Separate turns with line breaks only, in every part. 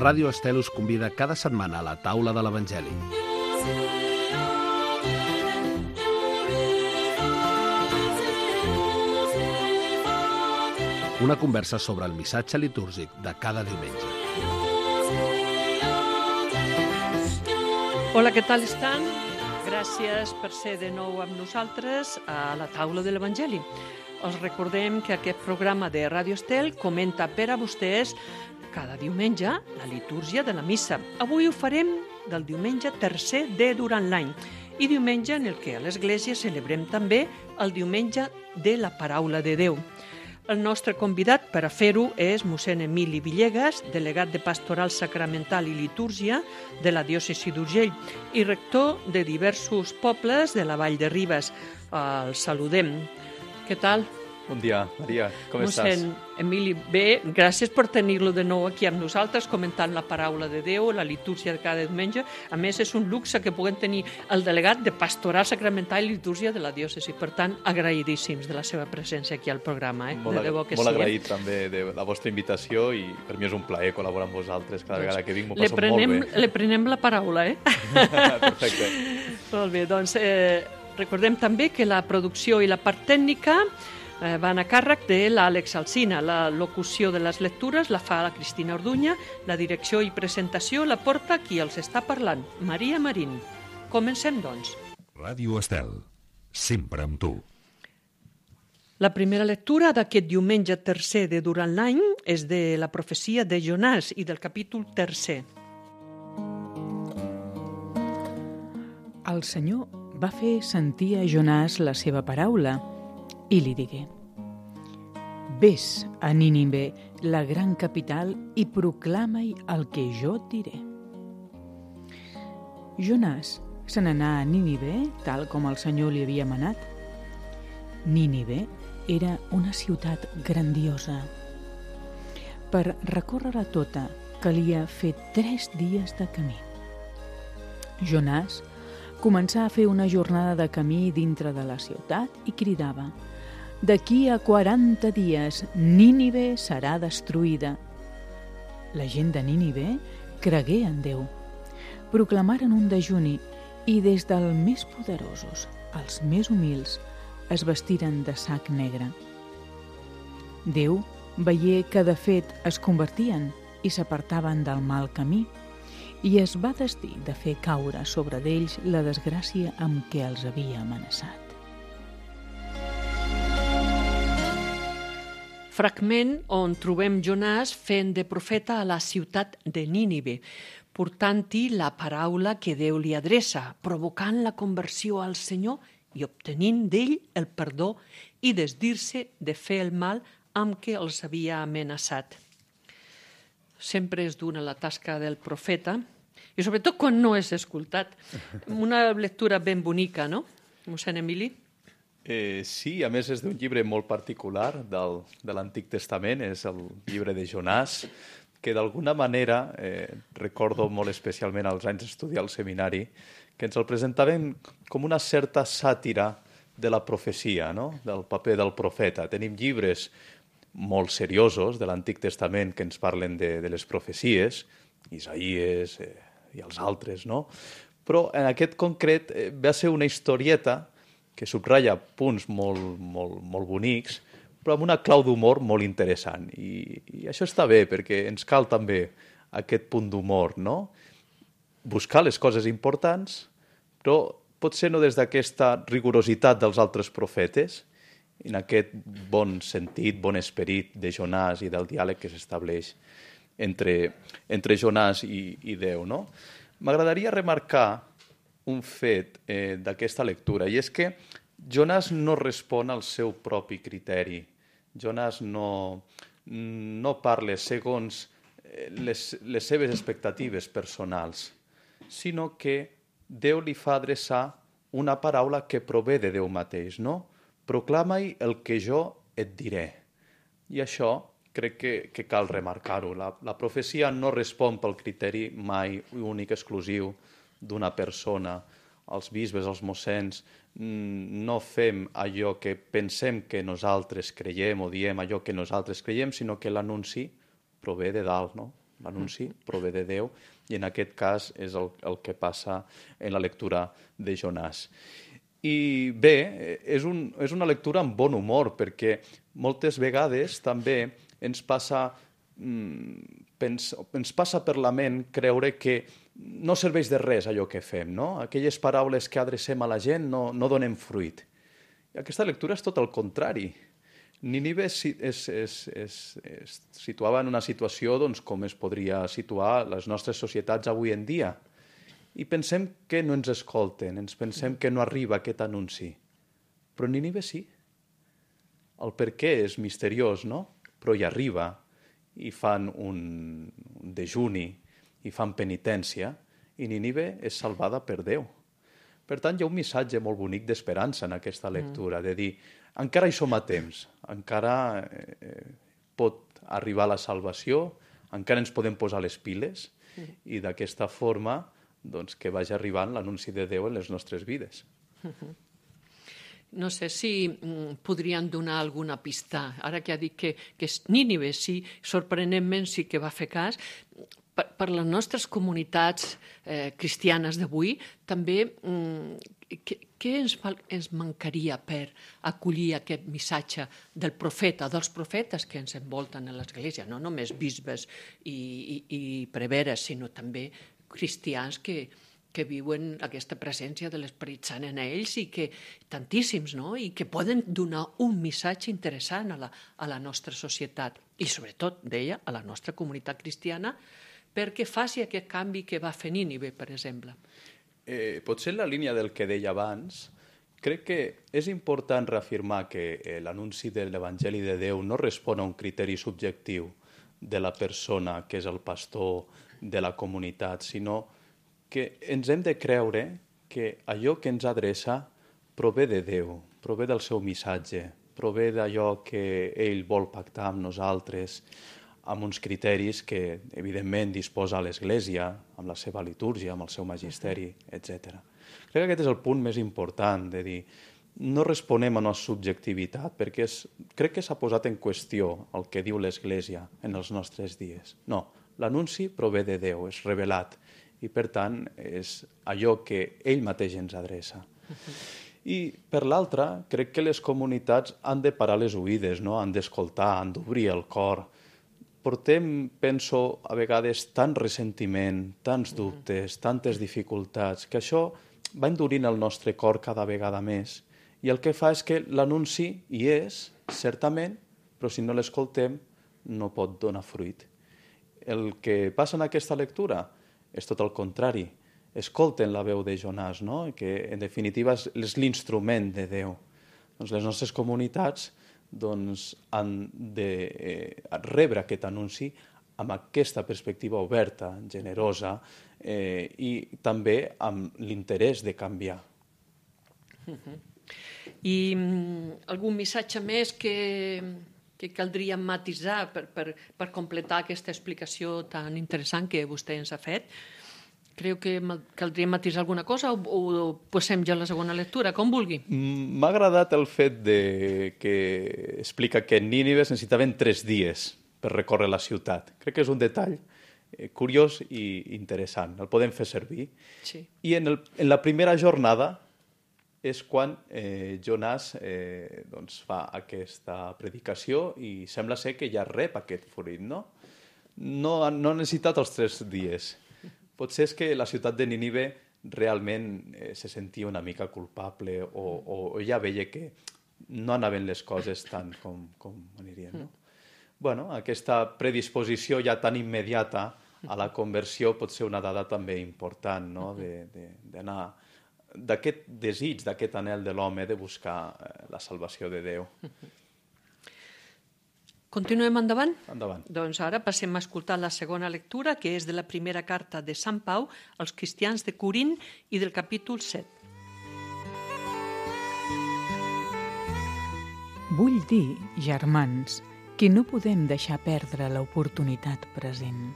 Ràdio Estel us convida cada setmana a la taula de l'Evangeli. Una conversa sobre el missatge litúrgic de cada diumenge.
Hola, què tal estan? Gràcies per ser de nou amb nosaltres a la taula de l'Evangeli. Els recordem que aquest programa de Ràdio Estel comenta per a vostès cada diumenge la litúrgia de la missa. Avui ho farem del diumenge tercer de durant l'any i diumenge en el que a l'Església celebrem també el diumenge de la Paraula de Déu. El nostre convidat per a fer-ho és mossèn Emili Villegas, delegat de Pastoral Sacramental i Litúrgia de la diòcesi d'Urgell i rector de diversos pobles de la Vall de Ribes. El saludem. Què tal?
Bon dia, Maria. Com estàs?
Mossèn Emili, bé, gràcies per tenir-lo de nou aquí amb nosaltres, comentant la paraula de Déu, la litúrgia de cada diumenge. A més, és un luxe que puguem tenir el delegat de Pastoral Sacramental i Litúrgia de la diòcesi. Per tant, agraïdíssims de la seva presència aquí al programa.
Molt agraït també de la vostra invitació i per mi és un plaer col·laborar amb vosaltres. Cada vegada que vinc m'ho passo molt bé.
Le prenem la paraula,
Perfecte.
Molt bé, doncs recordem també que la producció i la part tècnica van a càrrec de l'Àlex Alsina. La locució de les lectures la fa la Cristina Orduña, la direcció i presentació la porta qui els està parlant, Maria Marín. Comencem, doncs.
Ràdio Estel, sempre amb tu.
La primera lectura d'aquest diumenge tercer de durant l'any és de la profecia de Jonàs i del capítol tercer.
El Senyor va fer sentir a Jonàs la seva paraula i li digué: Ves a Nínive, la gran capital, i proclama-hi el que jo et diré. Jonàs se n'anà a Nínive, tal com el Senyor li havia manat. Nínive era una ciutat grandiosa. Per recórrer-la tota calia fer 3 dies de camí. Jonàs començà a fer una jornada de camí dintre de la ciutat i cridava: D'aquí a 40 dies Nínive serà destruïda. La gent de Nínive cregué en Déu. Proclamaren un dejuni i des dels més poderosos als més humils es vestiren de sac negre. Déu veié que de fet es convertien i s'apartaven del mal camí i es va decidir de fer caure sobre d'ells la desgràcia amb què els havia amenaçat.
Fragment on trobem Jonàs fent de profeta a la ciutat de Nínive, portant-hi la paraula que Déu li adreça, provocant la conversió al Senyor i obtenint d'ell el perdó i desdir-se de fer el mal amb què els havia amenaçat. Sempre és dura la tasca del profeta, i sobretot quan no és escoltat. Una lectura ben bonica, no, mossèn Emili?
Sí, a més és d'un llibre molt particular de l'Antic Testament, és el llibre de Jonàs, que d'alguna manera, recordo molt especialment als anys d'estudiar al seminari, que ens el presentaven com una certa sàtira de la profecia, no? Del paper del profeta. Tenim llibres molt seriosos de l'Antic Testament que ens parlen de les profecies, Isaïes i els altres, no? Però en aquest concret va ser una historieta que subratlla punts molt bonics, però amb una clau d'humor molt interessant. I això està bé, perquè ens cal també aquest punt d'humor, no? Buscar les coses importants, però potser no des d'aquesta rigorositat dels altres profetes, en aquest bon sentit, bon esperit de Jonàs i del diàleg que s'estableix entre Jonàs i Déu, no? M'agradaria remarcar un fet d'aquesta lectura, i és que Jonàs no respon al seu propi criteri. Jonàs no parla segons les seves expectatives personals, sinó que Déu li fa adreçar una paraula que prové de Déu mateix, no? Proclama-hi el que jo et diré. I això crec que cal remarcar-ho. La profecia no respon pel criteri mai únic, exclusiu, d'una persona. Els bisbes, els mossens, no fem allò que pensem que nosaltres creiem o diem allò que nosaltres creiem, sinó que l'anunci prové de dalt, no? L'anunci prové de Déu i en aquest cas és el que passa en la lectura de Jonàs. I bé, és una lectura amb bon humor perquè moltes vegades també ens passa per la ment creure que no serveix de res allò que fem, no? Aquelles paraules que adrecem a la gent no donen fruit. I aquesta lectura és tot el contrari. Nínive es situava en una situació com es podria situar les nostres societats avui en dia. I pensem que no ens escolten, ens pensem que no arriba aquest anunci. Però Nínive sí. El per què és misteriós, no? Però hi arriba, i fan un dejuni, i fan penitència, i Nínive és salvada per Déu. Per tant, hi ha un missatge molt bonic d'esperança en aquesta lectura, de dir, encara hi som a temps, encara pot arribar la salvació, encara ens podem posar les piles, i d'aquesta forma que vagi arribant l'anunci de Déu en les nostres vides.
No sé si podrien donar alguna pista. Ara que ha dit que és Nínive, sí, sorprenentment sí que va fer cas. Per les nostres comunitats cristianes d'avui, també què ens mancaria per acollir aquest missatge del profeta, dels profetes que ens envolten a l'Església, no només bisbes i preveres, sinó també cristians que viuen aquesta presència de l'Esperit Sant en ells i que tantíssims, no? I que poden donar un missatge interessant a la nostra societat i sobretot, deia, a la nostra comunitat cristiana perquè faci aquest canvi que va fer Nínive, per exemple.
Potser en la línia del que deia abans, crec que és important reafirmar que l'anunci de l'Evangeli de Déu no respon a un criteri subjectiu de la persona que és el pastor de la comunitat, sinó que ens hem de creure que allò que ens adreça prové de Déu, prové del seu missatge, prové d'allò que ell vol pactar amb nosaltres, amb uns criteris que, evidentment, disposa l'Església, amb la seva litúrgia, amb el seu magisteri, etc. Crec que aquest és el punt més important, de dir, no responem a una subjectivitat, perquè crec que s'ha posat en qüestió el que diu l'Església en els nostres dies. No, l'anunci prové de Déu, és revelat, i per tant és allò que ell mateix ens adreça. I per l'altra, crec que les comunitats han de parar les oïdes, no? Han d'escoltar, han d'obrir el cor. Portem, penso, a vegades tant ressentiment, tants dubtes, tantes dificultats, que això va endurint el nostre cor cada vegada més. I el que fa és que l'anunci hi és, certament, però si no l'escoltem no pot donar fruit. El que passa en aquesta lectura és tot el contrari. Escolten la veu de Jonàs, no? Que en definitiva és l'instrument de Déu. Doncs les nostres comunitats han de rebre aquest anunci amb aquesta perspectiva oberta, generosa i també amb l'interès de canviar.
I algun missatge més que caldria matisar per completar aquesta explicació tan interessant que vostè ens ha fet? Creu que caldria matisar alguna cosa o passem ja a la segona lectura, com vulgui?
M'ha agradat el fet que explica que en Nínive es necessitaven 3 dies per recórrer la ciutat. Crec que és un detall curiós i interessant. El podem fer servir.
Sí.
I en la primera jornada és quan Jonàs fa aquesta predicació i sembla ser que ja rep aquest fruit, no? No ha necessitat els 3 dies. Potser és que la ciutat de Nínive realment se sentia una mica culpable o ja veia que no anaven les coses tant com anirien, no? Bueno, aquesta predisposició ja tan immediata a la conversió pot ser una dada també important, no? D'anar d'aquest desig, d'aquest anhel de l'home de buscar la salvació de Déu.
Continuem endavant?
Endavant.
Doncs ara passem a escoltar la segona lectura, que és de la primera carta de Sant Pau als cristians de Corint i del capítol 7.
Vull dir, germans, que no podem deixar perdre l'oportunitat present.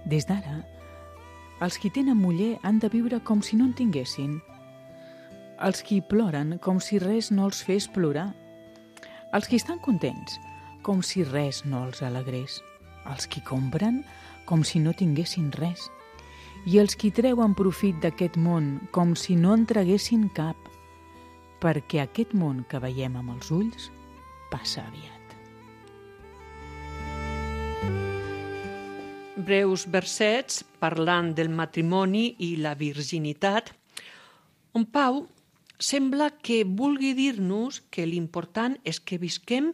Des d'ara, els qui tenen muller han de viure com si no en tinguessin. Els qui ploren com si res no els fes plorar. Els qui estan contents com si res no els alegrés. Els qui compren com si no tinguessin res, i els qui treuen profit d'aquest món com si no en traguessin cap, perquè aquest món que veiem amb els ulls passa aviat.
Breus versets parlant del matrimoni i la virginitat, on Pau sembla que vulgui dir-nos que l'important és que visquem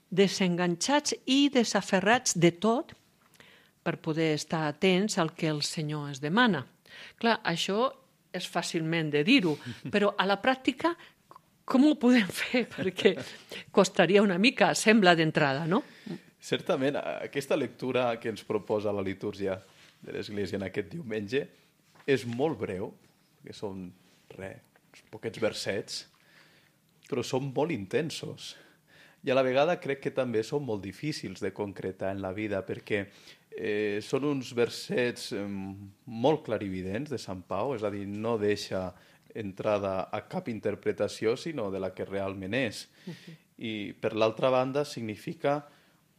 desenganxats i desaferrats de tot per poder estar atents al que el Senyor ens demana. Clar, això és fàcilment de dir-ho, però a la pràctica com ho podem fer? Perquè costaria una mica, sembla d'entrada, no?
Certament, aquesta lectura que ens proposa la litúrgia de l'Església en aquest diumenge és molt breu, que són uns poquets versets, però són molt intensos. I a la vegada crec que també són molt difícils de concretar en la vida, perquè són uns versets molt clarividents de Sant Pau, és a dir, no deixa entrada a cap interpretació, sinó de la que realment és. I, per l'altra banda, significa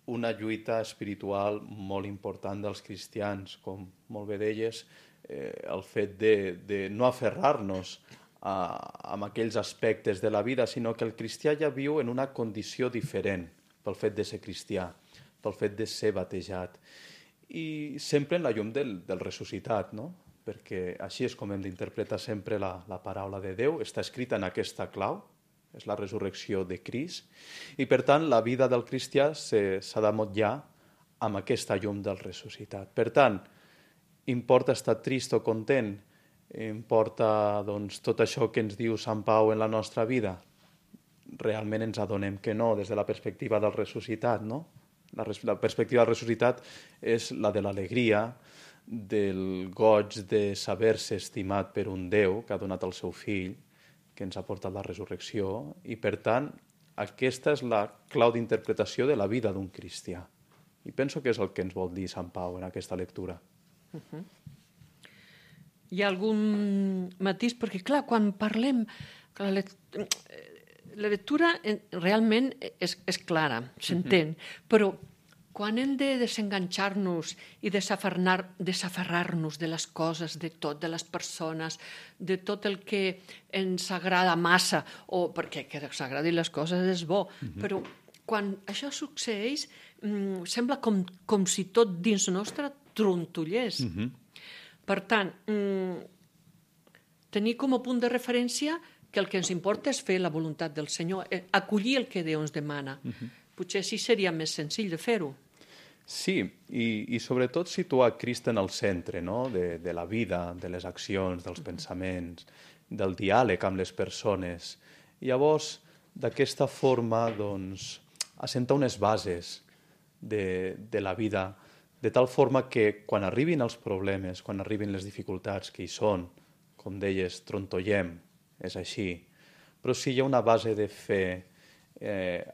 una lluita espiritual molt important dels cristians, com molt bé deies, el fet de no aferrar-nos a aquells aspectes de la vida, sinó que el cristià ja viu en una condició diferent pel fet de ser cristià, pel fet de ser batejat. I sempre en la llum del ressuscitat, no? Perquè així és com hem d'interpretar sempre la paraula de Déu, està escrita en aquesta clau, és la resurrecció de Crist, i per tant la vida del cristià s'ha de motllar amb aquesta llum del ressuscitat. Per tant, importa estar trist o content? Importa tot això que ens diu Sant Pau en la nostra vida? Realment ens adonem que no, des de la perspectiva del ressuscitat, no? La perspectiva del ressuscitat és la de l'alegria, del goig de saber-se estimat per un Déu que ha donat el seu fill, que ens ha portat la resurrecció, i per tant aquesta és la clau d'interpretació de la vida d'un cristià. I penso que és el que ens vol dir Sant Pau en aquesta lectura.
Hi ha algun matís? Perquè, clar, quan parlem... La lectura realment és clara, s'entén, però quan hem de desenganxar-nos i desaferrar-nos de les coses, de tot, de les persones, de tot el que ens agrada massa, o perquè que ens agradin les coses és bo, però quan això succeeix sembla com si tot dins nostre trontollés. Per tant, tenir com a punt de referència que el que ens importa és fer la voluntat del Senyor, acollir el que Déu ens demana. Potser així seria més senzill de fer-ho.
Sí, i sobretot situar Crist en el centre, no? de la vida, de les accions, dels pensaments, del diàleg amb les persones. I llavors, d'aquesta forma, assentar unes bases de la vida, de tal forma que quan arribin els problemes, quan arribin les dificultats que hi són, com deies, trontollem, és així. Però si hi ha una base de fe,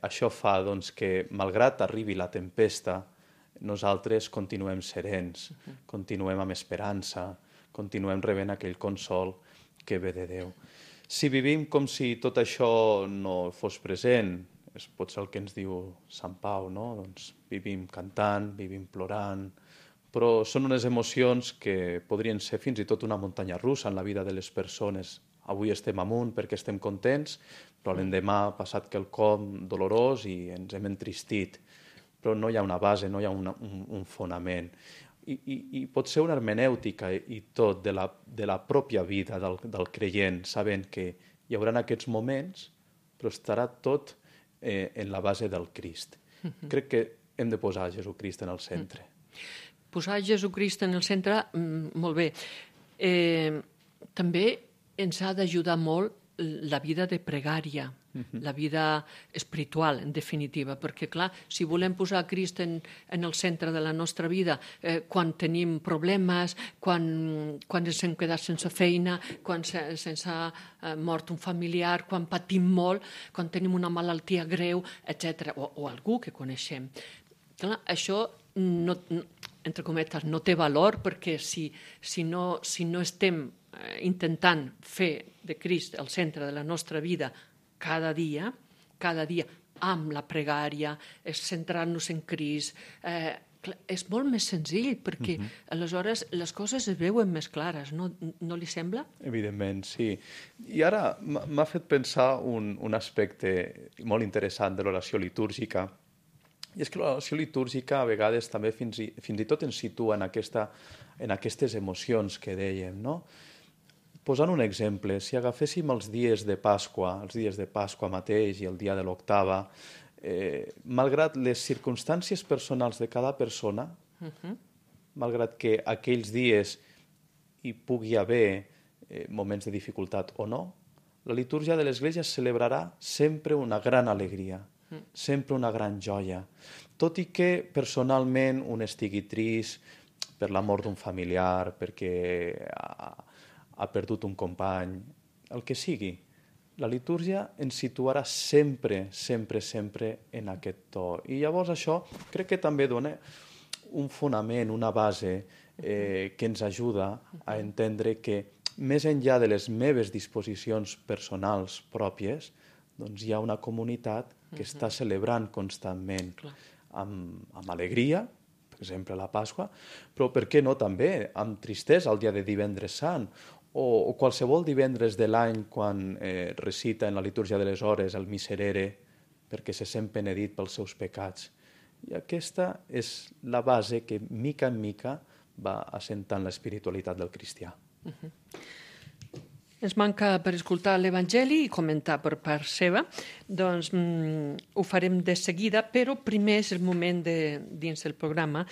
això fa que, malgrat arribi la tempesta, nosaltres continuem serens, continuem amb esperança, continuem rebent aquell consol que ve de Déu. Si vivim com si tot això no fos present, és potser el que ens diu Sant Pau, no? Vivim cantant, vivim plorant, però són unes emocions que podrien ser fins i tot una muntanya russa en la vida de les persones. Avui estem amunt perquè estem contents, però l'endemà ha passat quelcom dolorós i ens hem entristit. Però no hi ha una base, no hi ha un fonament. I pot ser una hermenèutica i tot de la pròpia vida del creient, sabent que hi haurà aquests moments, però estarà tot en la base del Crist. Crec que hem de posar Jesucrist en el centre.
Posar Jesucrist en el centre, molt bé. També ens ha d'ajudar molt la vida de pregària, la vida espiritual, en definitiva, perquè, clar, si volem posar Crist en el centre de la nostra vida, quan tenim problemes, quan ens hem quedat sense feina, quan se'ns ha mort un familiar, quan patim molt, quan tenim una malaltia greu, etc., o algú que coneixem. Clar, això, entre cometes, no té valor, perquè si no estem intentant fer de Crist el centre de la nostra vida cada dia amb la pregària, centrar-nos en Crist, Clar, és molt més senzill, perquè aleshores les coses es veuen més clares, no li sembla?
Evidentment, sí. I ara m'ha fet pensar un aspecte molt interessant de l'oració litúrgica, i és que l'oració litúrgica a vegades també fins i tot ens situa en aquestes emocions que dèiem, no? Posant un exemple, si agaféssim els dies de Pasqua mateix i el dia de l'octava, malgrat les circumstàncies personals de cada persona, malgrat que aquells dies hi pugui haver moments de dificultat o no, la litúrgia de l'Església celebrarà sempre una gran alegria, sempre una gran joia. Tot i que personalment un estigui trist per la mort d'un familiar, perquè ha perdut un company, el que sigui, la litúrgia ens situarà sempre, sempre, sempre en aquest to. I llavors això crec que també dona un fonament, una base que ens ajuda a entendre que més enllà de les meves disposicions personals pròpies, doncs hi ha una comunitat que està celebrant constantment amb alegria, per exemple la Pasqua, però per què no també amb tristesa el dia de Divendres Sant, o qualsevol divendres de l'any quan recita en la litúrgia de les hores el Miserere perquè se sent penedit pels seus pecats. I aquesta és la base que, mica en mica, va assentant l'espiritualitat del cristià.
Ens manca per escoltar l'Evangeli i comentar per part seva, doncs ho farem de seguida, però primer és el moment dins el programa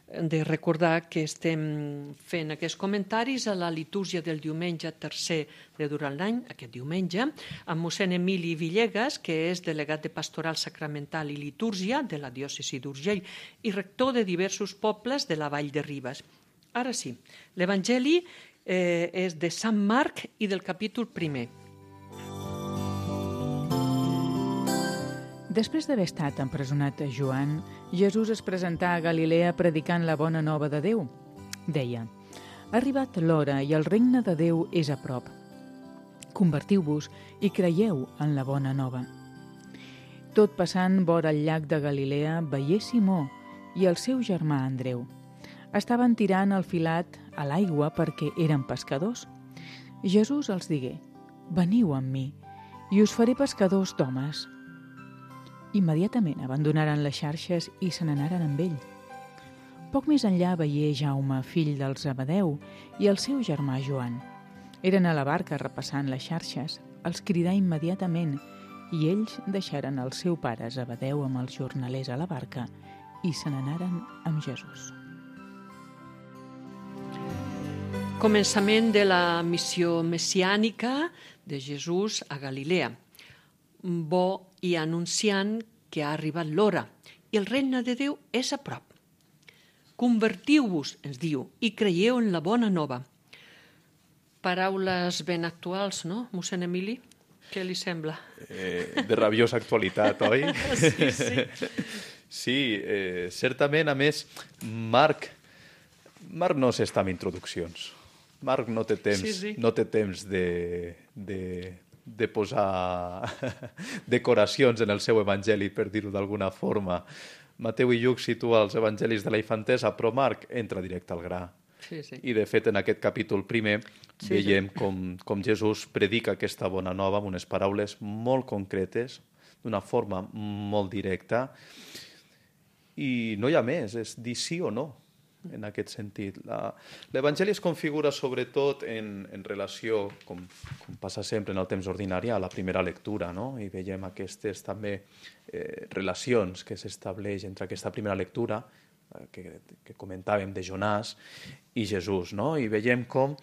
de recordar que estem fent aquests comentaris a la litúrgia del diumenge tercer de durant l'any, aquest diumenge, amb mossèn Emili Villegas, que és delegat de Pastoral Sacramental i Litúrgia de la diòcesi d'Urgell i rector de diversos pobles de la Vall de Ribes. Ara sí, l'Evangeli és de Sant Marc i del capítol 1.
Després d'haver estat empresonat a Joan, Jesús es presentà a Galilea predicant la bona nova de Déu. Deia: «Ha arribat l'hora i el regne de Déu és a prop. Convertiu-vos i creieu en la bona nova». Tot passant vora el llac de Galilea, veié Simó i el seu germà Andreu. Estaven tirant el filat a l'aigua perquè eren pescadors. Jesús els digué: «Veniu amb mi i us faré pescadors d'homes». Immediatament abandonaren les xarxes i se n'anaren amb ell. Poc més enllà veié Jaume, fill del Zebedeu, i el seu germà Joan. Eren a la barca repassant les xarxes. Els cridà immediatament i ells deixaren el seu pare Zebedeu amb els jornalers a la barca i se n'anaren amb Jesús.
Començament de la missió messiànica de Jesús a Galilea. Bo i anunciant que ha arribat l'hora i el regne de Déu és a prop. Convertiu-vos, ens diu, i creieu en la bona nova. Paraules ben actuals, no, mossèn Emili? Què li sembla?
De rabiosa actualitat, oi?
Sí.
Sí, certament, a més, Marc no s'està amb introduccions. Marc no té temps, no té temps de posar decoracions en el seu evangeli, per dir-ho d'alguna forma. Mateu i Lluc situa els evangelis de la infantesa, però Marc entra directe al gra.
Sí.
I, de fet, en aquest capítol 1 veiem com Jesús predica aquesta bona nova amb unes paraules molt concretes, d'una forma molt directa, i no hi ha més, és dir sí o no. En aquest sentit. L'Evangeli es configura sobretot en relació, com passa sempre en el temps ordinari, a la primera lectura, no? I veiem aquestes també relacions que s'estableix entre aquesta primera lectura que comentàvem de Jonàs i Jesús, no? I veiem com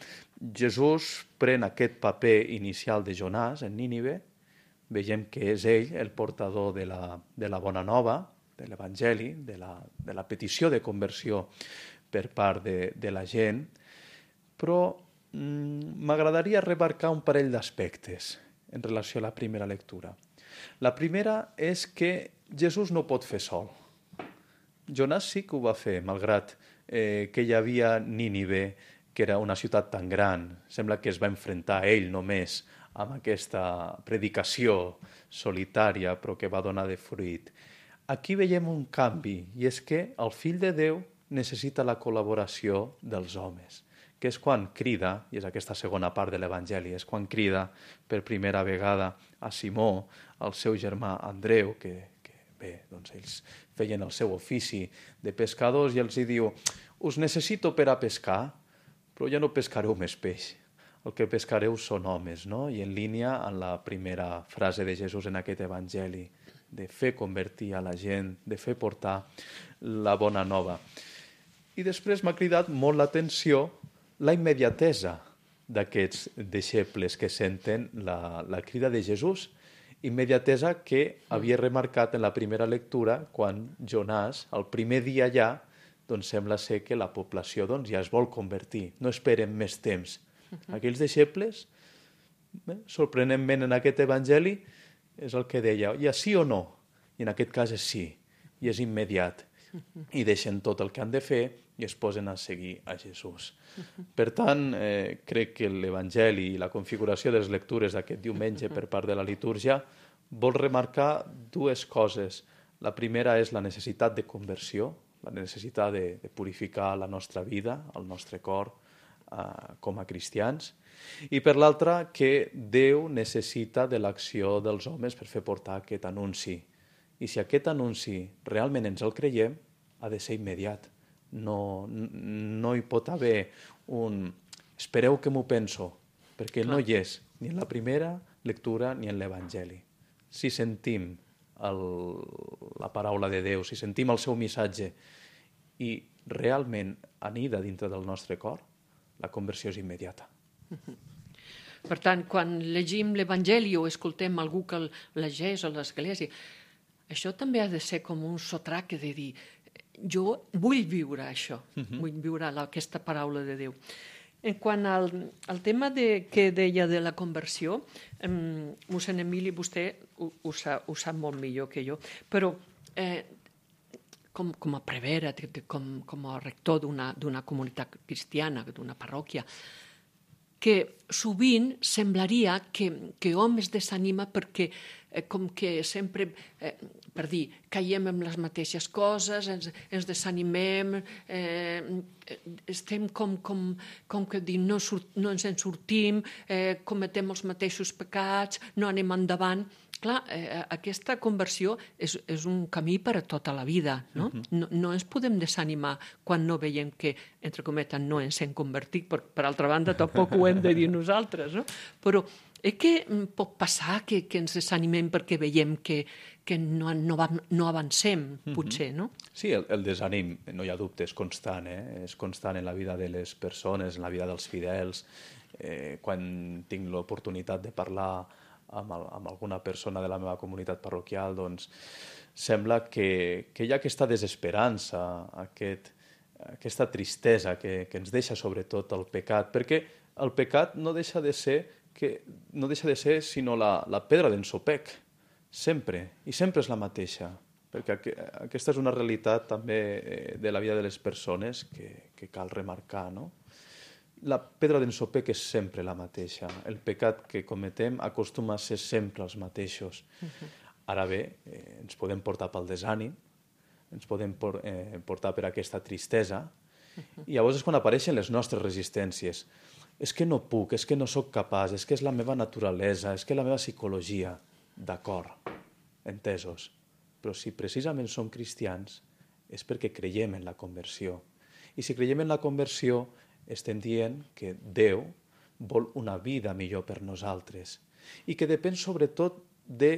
Jesús pren aquest paper inicial de Jonàs en Nínive, veiem que és ell el portador de la bona nova, de l'Evangeli, de la petició de conversió per part de la gent, però m'agradaria remarcar un parell d'aspectes en relació a la primera lectura. La primera és que Jesús no pot fer sol. Jonàs sí que ho va fer, malgrat que hi havia Nínive, que era una ciutat tan gran. Sembla que es va enfrontar ell només amb aquesta predicació solitària, però que va donar de fruit. aquí veiem un canvi, i és que el Fill de Déu necessita la col·laboració dels homes, que és quan crida, i és aquesta segona part de l'Evangeli, és quan crida per primera vegada a Simó, al seu germà Andreu, que bé, doncs ells feien el seu ofici de pescadors, i els hi diu: us necessito per a pescar, però ja no pescareu més peix, el que pescareu són homes, no? I en línia amb la primera frase de Jesús en aquest Evangeli, de fer convertir a la gent, de fer portar la bona nova. I després m'ha cridat molt l'atenció la immediatesa d'aquests deixebles que senten la crida de Jesús, immediatesa que havia remarcat en la primera lectura quan Jonàs, el primer dia ja, doncs sembla ser que la població ja es vol convertir, no esperen més temps. Aquells deixebles, sorprenentment en aquest Evangeli, és el que deia, ja sí o no? I en aquest cas és sí, i és immediat. I deixen tot el que han de fer i es posen a seguir a Jesús. Per tant, crec que l'Evangeli i la configuració de les lectures d'aquest diumenge per part de la litúrgia vol remarcar dues coses. La primera és la necessitat de conversió, la necessitat de purificar la nostra vida, el nostre cor, com a cristians, i per l'altra que Déu necessita de l'acció dels homes per fer portar aquest anunci. I si aquest anunci realment ens el creiem, ha de ser immediat. No hi pot haver un espereu que m'ho penso, perquè no hi és ni en la primera lectura ni en l'Evangeli. Si sentim la paraula de Déu, si sentim el seu missatge i realment anida dintre del nostre cor, la conversió és immediata.
Per tant, quan llegim l'Evangeli o escoltem algú que el llegeix a l'església, això també ha de ser com un sotrac de dir jo vull viure això, vull viure aquesta paraula de Déu. En quant al tema que deia de la conversió, mossèn Emili, vostè ho sap molt millor que jo, però com a prevere, com a rector d'una comunitat cristiana, d'una parròquia, que sovint semblaria que hom es desanima perquè com que sempre, per dir, caiem en les mateixes coses, ens desanimem, estem com que dir, no ens en sortim, cometem els mateixos pecats, no anem endavant. Clar, aquesta conversió és un camí per a tota la vida, no? No ens podem desanimar quan no veiem que, entre cometes, no ens hem convertit, per altra banda tampoc ho hem de dir nosaltres, no? Però què pot passar que ens desanimem perquè veiem que no avancem, potser, no?
Sí, el desànim, no hi ha dubte, és constant, és constant en la vida de les persones, en la vida dels fidels. Quan tinc l'oportunitat de parlar amb alguna persona de la meva comunitat parroquial, doncs sembla que hi ha aquesta desesperança, aquesta tristesa que ens deixa sobretot el pecat, perquè el pecat no deixa de ser sinó la pedra d'ensopec, sempre, i sempre és la mateixa, perquè aquesta és una realitat també de la vida de les persones que cal remarcar, no? La pedra d'ensopec és sempre la mateixa. El pecat que cometem acostuma a ser sempre els mateixos. Ara bé, ens podem portar pel desànim, ens podem portar per aquesta tristesa, i llavors és quan apareixen les nostres resistències. És que no puc, és que no sóc capaç, és que és la meva naturalesa, és que la meva psicologia. D'acord, entesos. Però si precisament som cristians és perquè creiem en la conversió. I si creiem en la conversió estem dient que Déu vol una vida millor per nosaltres i que depèn sobretot de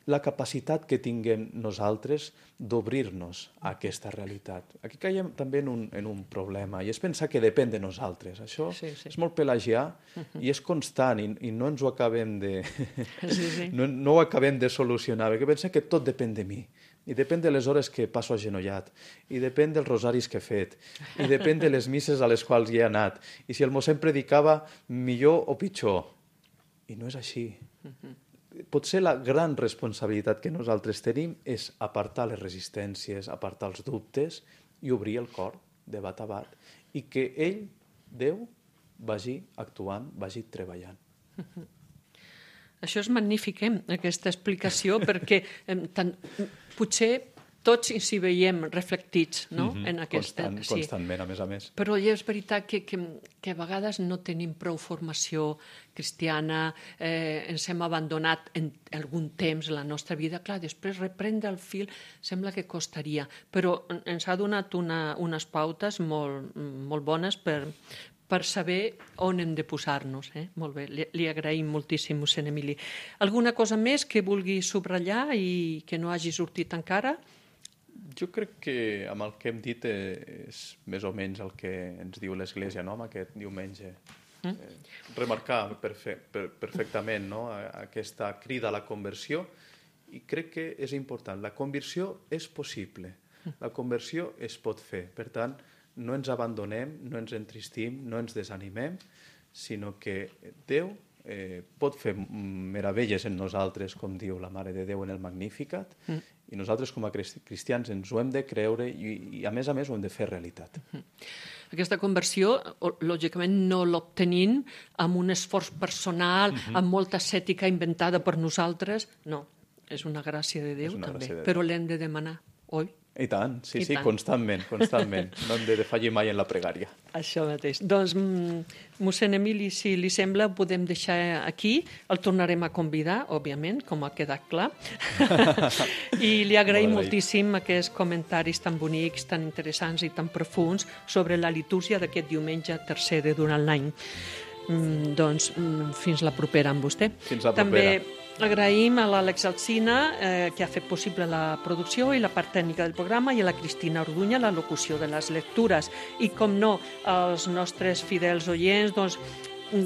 la capacitat que tinguem nosaltres d'obrir-nos a aquesta realitat. Aquí caiem també en un problema i és pensar que depèn de nosaltres. Això és molt pelagià i és constant i no ens ho acabem no ho acabem de solucionar, perquè pensem que tot depèn de mi. I depèn de les hores que passo agenollat, i depèn dels rosaris que he fet, i depèn de les misses a les quals hi he anat, i si el mossèn predicava millor o pitjor. I no és així. Potser la gran responsabilitat que nosaltres tenim és apartar les resistències, apartar els dubtes i obrir el cor de bat a bat, i que ell, Déu, vagi actuant, vagi treballant.
Això és magnífic, aquesta explicació, perquè potser tots s'hi veiem reflectits, no? En aquesta...
Constantment, a més.
Però és veritat que a vegades no tenim prou formació cristiana, ens hem abandonat en algun temps la nostra vida. Clar, després reprendre el fil sembla que costaria, però ens ha donat unes pautes molt bones per saber on hem de posar-nos. Molt bé, li agraïm moltíssim, mossèn Emili. Alguna cosa més que vulgui subratllar i que no hagi sortit encara?
Jo crec que amb el que hem dit és més o menys el que ens diu l'Església, no?, amb aquest diumenge. Remarcar perfectament, no?, aquesta crida a la conversió, i crec que és important. La conversió és possible, la conversió es pot fer. Per tant, no ens abandonem, no ens entristim, no ens desanimem, sinó que Déu pot fer meravelles en nosaltres, com diu la Mare de Déu en el Magnificat, i nosaltres com a cristians ens ho hem de creure i a més ho hem de fer realitat.
Aquesta conversió, lògicament, no l'obtenim amb un esforç personal, amb molta ascètica inventada per nosaltres. No, és una gràcia de Déu també, però l'hem de demanar, oi?
I tant, sí, constantment. No hem de defallir mai en la pregària.
Això mateix. Doncs, mossèn Emili, si li sembla, ho podem deixar aquí. El tornarem a convidar, òbviament, com ha quedat clar. I li agraïm moltíssim aquests comentaris tan bonics, tan interessants i tan profuns sobre la litúrgia d'aquest diumenge tercer de durant l'any. Doncs, fins la propera amb vostè.
Fins la propera.
També agraïm a l'Àlex Alsina, que ha fet possible la producció i la part tècnica del programa, i a la Cristina Orduña, la locució de les lectures. I, com no, als nostres fidels oients, doncs,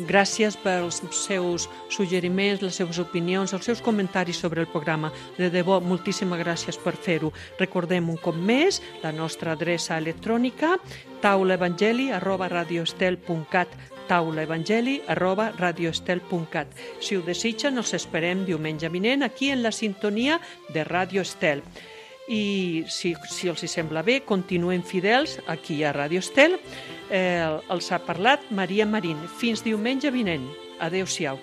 gràcies pels seus suggeriments, les seves opinions, els seus comentaris sobre el programa. De debò, moltíssimes gràcies per fer-ho. Recordem un cop més la nostra adreça electrònica, taulaevangeli@radioestel.cat, taulaevangeli@radioestel.cat. Si ho desitgen, els esperem diumenge vinent aquí en la sintonia de Ràdio Estel. I si els hi sembla bé, continuen fidels aquí a Ràdio Estel. Els ha parlat Maria Marín. Fins diumenge vinent. Adéu-siau.